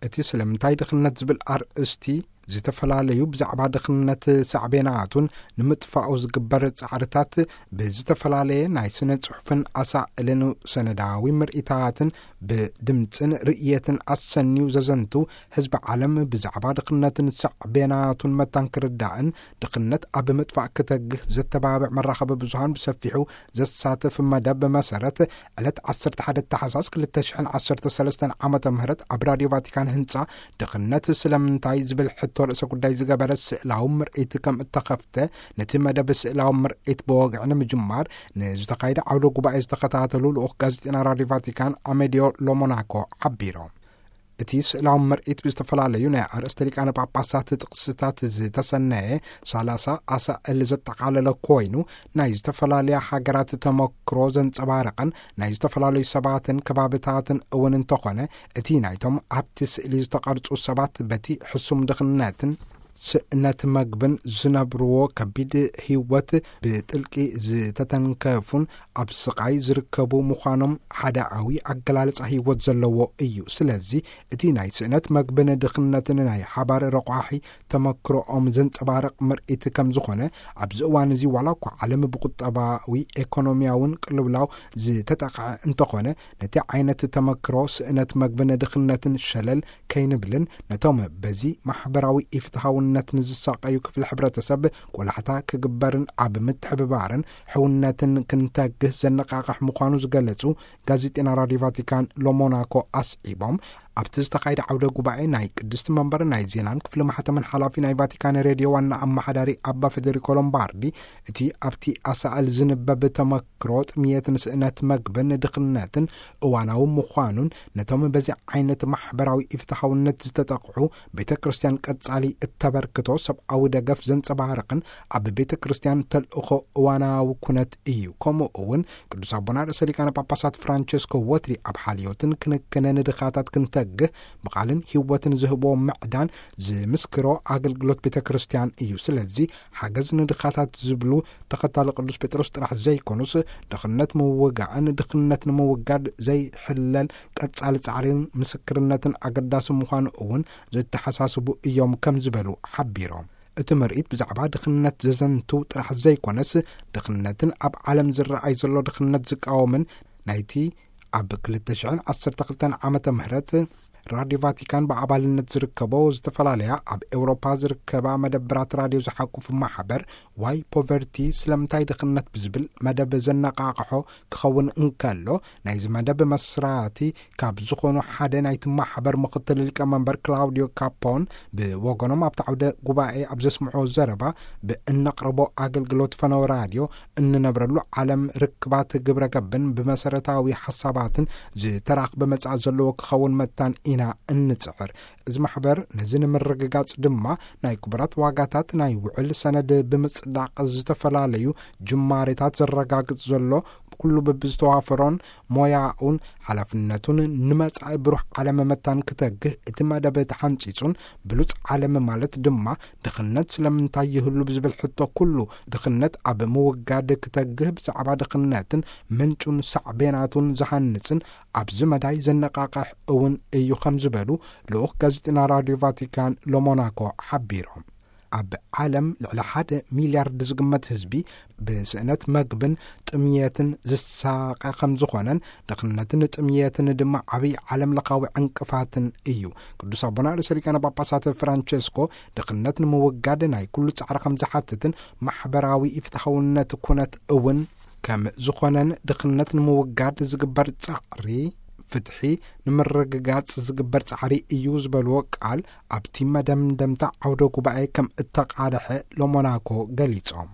እቲ ስለምንታይ ድኽነት ዝብል ኣርእስቲ፣ ዝተፈላለዩ ብዛዕባ ድኽነት ሳዕቤናቱን ንምጥፋኡ ዝግበር ጻዕርታት ብዝተፈላለየ ናይ ስነ ጽሑፍን ኣሳእልን ሰነዳዊ ምርኢታትን ብድምጽን ርእየትን ኣሰንዩ ዘዘንቱ፣ ህዝቢ ዓለም ብዛዕባ ድኽነትን ሳዕቤናቱን መታን ክርዳእን፣ ድኽነት ኣብ ምጥፋእ ክተግህ ዘተባብዕ መራኸቢ ብዙሃን ብሰፊሑ ዘሳትፍ መደብ መሰረት፣ ዕለት ዓሰርተ ሓደ ታሕሳስ ክልተ ሽሕን ዓሰርተ ሰለስተን ዓመተ ምህረት ኣብ ራድዮ ቫቲካን ህንጻ ድኽነት ስለምንታይ ዝብል ሕቶ ርእሰ ጉዳይ ዝገበረ ስእላዊ ምርኢት ከም እተኸፍተ፣ ነቲ መደብ ስእላዊ ምርኢት ብወግዒ ንምጅማር ንዝተኻየደ ዓውደ ጉባኤ ዝተኸታተሉ ልኡኽ ጋዜጠና ራድዮ ቫቲካን ኣሜዲዮ ሎሞናኮ ሓቢሮም። እቲ ስእላዊ ምርኢት ብዝተፈላለዩ ናይ ኣርእስተ ሊቃነ ጳጳሳት ጥቕስታት ዝተሰነየ ሰላሳ ኣሳእል ዘጠቓለለ ኮይኑ፣ ናይ ዝተፈላለያ ሃገራት ተመክሮ ዘንጸባረቐን ናይ ዝተፈላለዩ ሰባትን ከባብታትን እውን እንተኾነ፣ እቲ ናይቶም ኣብቲ ስእሊ ዝተቐርጹ ሰባት በቲ ሕሱም ድኽነትን ስእነት መግብን ዝነብርዎ ከቢድ ህይወት ብጥልቂ ዝተተንከፉን ኣብ ስቓይ ዝርከቡ ምዃኖም ሓደኣዊ ኣገላልጻ ህይወት ዘለዎ እዩ። ስለዚ እቲ ናይ ስእነት መግብን ድኽነትን ናይ ሓባር ረቋሒ ተመክሮኦም ዘንጸባርቕ ምርኢት ከም ዝኾነ፣ ኣብዚ እዋን እዚ ዋላ እኳ ዓለም ብቁጠባዊ ኤኮኖሚያውን ቅልውላው ዝተጠቕዐ እንተኾነ፣ ነቲ ዓይነት ተመክሮ ስእነት መግብን ድኽነትን ሸለል ከይንብልን፣ ነቶም በዚ ማሕበራዊ ኢፍትሃውነት ንዝሳቐዩ ክፍሊ ሕብረተሰብ ቆላሕታ ክግበርን ኣብ ምትሕብባርን ሕውነትን ክንተግህ ዘነቃቕሕ ምዃኑ ዝገለጹ ጋዜጠና ራድዮ ቫቲካን ሎሞናኮ ኣስዒቦም፣ ኣብቲ ዝተኻየደ ዓውደ ጉባኤ ናይ ቅድስቲ መንበር ናይ ዜናን ክፍሊ ማሕተምን ሓላፊ ናይ ቫቲካን ሬድዮ ዋና ኣመሓዳሪ ኣባ ፌዴሪኮ ሎምባርዲ፣ እቲ ኣብቲ ኣሳእል ዝንበብ ተመክሮ ጥምየትን ስእነት መግብን ድኽነትን እዋናዊ ምዃኑን፣ ነቶም በዚ ዓይነት ማሕበራዊ ኢፍትሃውነት ዝተጠቕዑ ቤተ ክርስቲያን ቀጻሊ እተበርክቶ ሰብኣዊ ደገፍ ዘንጸባርቕን ኣብ ቤተ ክርስቲያን ተልእኾ እዋናዊ ኩነት እዩ። ከምኡ እውን ቅዱስ ኣቦና ርእሰ ሊቃነ ጳጳሳት ፍራንቸስኮ ወትሪ ኣብ ሓልዮትን ክንክንን ድኻታት ክንተግህ ብቓልን ህይወትን ዝህቦ ምዕዳን ዝምስክሮ ኣገልግሎት ቤተ ክርስቲያን እዩ። ስለዚ ሓገዝ ንድኻታት ዝብሉ ተኸታሊ ቅዱስ ጴጥሮስ ጥራሕ ዘይኮኑስ፣ ድኽነት ምውጋእን ድኽነት ንምውጋድ ዘይሕለል ቀጻሊ ጻዕርን ምስክርነትን ኣገዳሲ ምዃኑ እውን ዘተሓሳስቡ እዮም ከም ዝበሉ ሓቢሮም። እቲ ምርኢት ብዛዕባ ድኽነት ዘዘንትው ጥራሕ ዘይኮነስ፣ ድኽነትን ኣብ ዓለም ዝረኣይ ዘሎ ድኽነት ዝቃወምን ናይቲ ኣብ ክልተ ሽሕን ዓሰርተ ክልተን ዓመተ ምህረት ራድዮ ቫቲካን ብኣባልነት ዝርከቦ ዝተፈላለያ ኣብ ኤውሮፓ ዝርከባ መደብራት ራድዮ ዝሓቁፍ ማሕበር ዋይ ፖቨርቲ ስለምንታይ ድኽነት ብዝብል መደብ ዘነቃቕሖ ክኸውን እንከሎ፣ ናይዚ መደብ መስራቲ ካብ ዝኾኑ ሓደ ናይቲ ማሕበር ምኽትል ሊቀመንበር ክላውዲዮ ካፖን ብወገኖም ኣብቲ ዓውደ ጉባኤ ኣብ ዘስምዖ ዘረባ፣ ብእነቕርቦ ኣገልግሎት ፈነወ ራድዮ እንነብረሉ ዓለም ርክባት ግብረ ገብን ብመሰረታዊ ሓሳባትን ዝተራኽበ መጻኢ ዘለዎ ክኸውን መታን ኢና እንጽዕር። እዚ ማሕበር ነዚ ንምርግጋጽ ድማ ናይ ክቡራት ዋጋታት ናይ ውዕል ሰነድ ብምጽዳቕ ዝተፈላለዩ ጅማሬታት ዘረጋግጽ ዘሎ፣ ኩሉ በብዝተዋፈሮን ሞያኡን ሓላፍነቱን ንመጻኢ ብሩህ ዓለም መታን ክተግህ እቲ መደብ ተሓንጺጹን፣ ብሉጽ ዓለም ማለት ድማ ድኽነት ስለምንታይ ይህሉ ብዝብል ሕቶ ኩሉ ድኽነት ኣብ ምውጋድ ክተግህ ብዛዕባ ድኽነትን ምንጩን ሳዕቤናቱን ዝሃንጽን ኣብዚ መዳይ ዘነቃቕሕ እውን እዩ ከም ዝበሉ ልኡኽ ጋዜጠና ራድዮ ቫቲካን ሎሞናኮ ሓቢሮም። ኣብ ዓለም ልዕሊ ሓደ ሚልያርድ ዝግመት ህዝቢ ብስእነት መግብን ጥምየትን ዝሳቐ ከም ዝኾነን፣ ድኽነትን ጥምየትን ድማ ዓብዪ ዓለም ለኻዊ ዕንቅፋትን እዩ። ቅዱስ ኣቦና ርእሰ ሊቃነ ጳጳሳት ፍራንቸስኮ ድኽነት ንምውጋድ ናይ ኩሉ ጻዕሪ ከም ዝሓትትን ማሕበራዊ ኢፍትሓውነት ኩነት እውን ከም ዝኾነን፣ ድኽነት ንምውጋድ ዝግበር ጻዕሪ ፍትሒ ንምርግጋጽ ዝግበር ጻዕሪ እዩ ዝበልዎ ቃል ኣብቲ መደምደምታ ዓውደ ጉባኤ ከም እተቓልሐ ሎሞናኮ ገሊጾም።